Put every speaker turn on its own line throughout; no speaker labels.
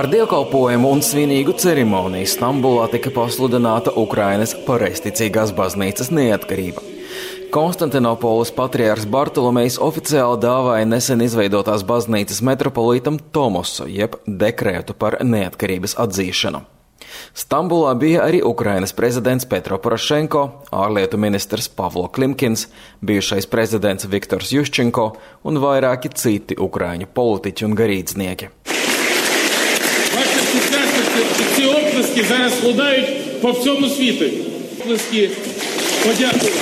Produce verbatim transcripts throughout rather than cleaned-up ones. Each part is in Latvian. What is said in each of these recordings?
Ar dievkalpojumu un svinīgu ceremoniju Stambulā tika pasludināta Ukrainas pareizticīgās baznīcas neatkarība. Konstantinopolis patriārhs Bartolomejs oficiāli dāvāja nesen izveidotās baznīcas metropolītam Tomosu, jeb dekrētu par neatkarības atzīšanu. Stambulā bija arī Ukrainas prezidents Petro Porošenko, ārlietu ministrs Pavlo Klimkins, bijušais prezidents Viktors Juščenko un vairāki citi ukraiņu politiķi un garīdznieki.
Ці оплески зараз лунають по всьому світу. Оплески подякувати.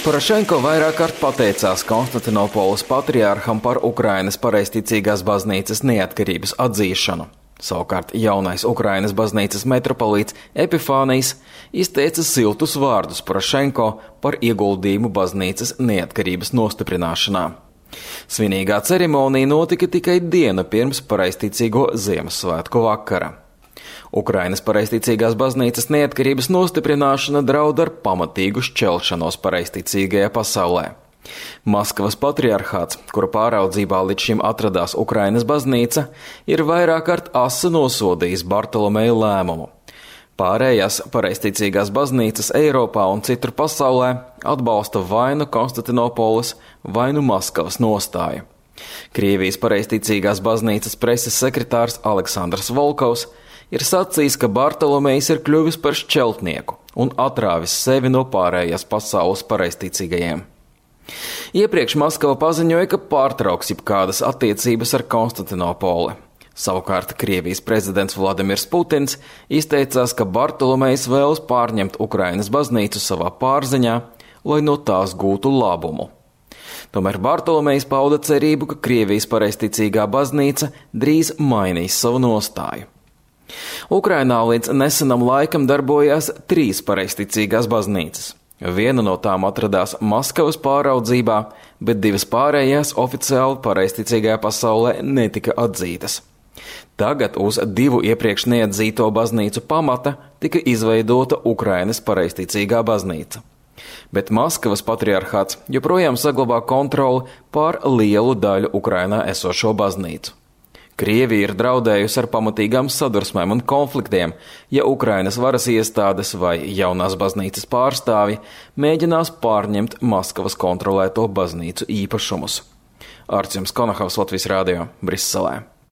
Porošenko vairāk kārt pateicās Konstantinopolis patriārham par Ukrainas pareizticīgās baznīcas neatkarības atzīšanu. Savukārt jaunais Ukrainas baznīcas metropolīts Epifānijs izteica siltus vārdus Porošenko par ieguldījumu baznīcas neatkarības nostiprināšanā. Svinīgā ceremonija notika tikai dienu pirms pareizticīgo Ziemassvētku vakara. Ukrainas pareizticīgās baznīcas neatkarības nostiprināšana draud ar pamatīgu šķelšanos pareizticīgajā pasaulē. Maskavas patriarhāts, kura pāraudzībā līdz šim atradās Ukrainas baznīca, ir vairāk kārt asi nosodījis Bartolomeja lēmumu. Pārējās pareizticīgās baznīcas Eiropā un citur pasaulē atbalsta vai nu Konstantinopolis, vai nu Maskavas nostāju. Krievijas pareizticīgās baznīcas preses sekretārs Aleksandrs Volkovs ir sacījis, ka Bartolomejs ir kļuvis par šķeltnieku un atrāvis sevi no pārējās pasaules pareizticīgajiem. Iepriekš Maskava paziņoja, ka pārtrauks jebkādas attiecības ar Konstantinopoli. Savukārt Krievijas prezidents Vladimirs Putins izteicās, ka Bartolomejs vēlas pārņemt Ukrainas baznīcu savā pārziņā, lai no tās gūtu labumu. Tomēr Bartolomejs pauda cerību, ka Krievijas pareizticīgā baznīca drīz mainīs savu nostāju. Ukrainā līdz nesenam laikam darbojās trīs pareizticīgās baznīcas. Viena no tām atradās Maskavas pāraudzībā, bet divas pārējās oficiāli pareizticīgajā pasaulē netika atzītas. Tagad uz divu iepriekš neatzīto baznīcu pamata tika izveidota Ukrainas pareizticīgā baznīca. Bet Maskavas patriarhāts joprojām saglabā kontroli pār lielu daļu Ukrainā esošo baznīcu. Krievija ir draudējusi ar pamatīgām sadursmēm un konfliktiem, ja Ukrainas varas iestādes vai jaunās baznīcas pārstāvji mēģinās pārņemt Maskavas kontrolēto baznīcu īpašumus. Artjums Konahavs, Latvijas radio, Briselē.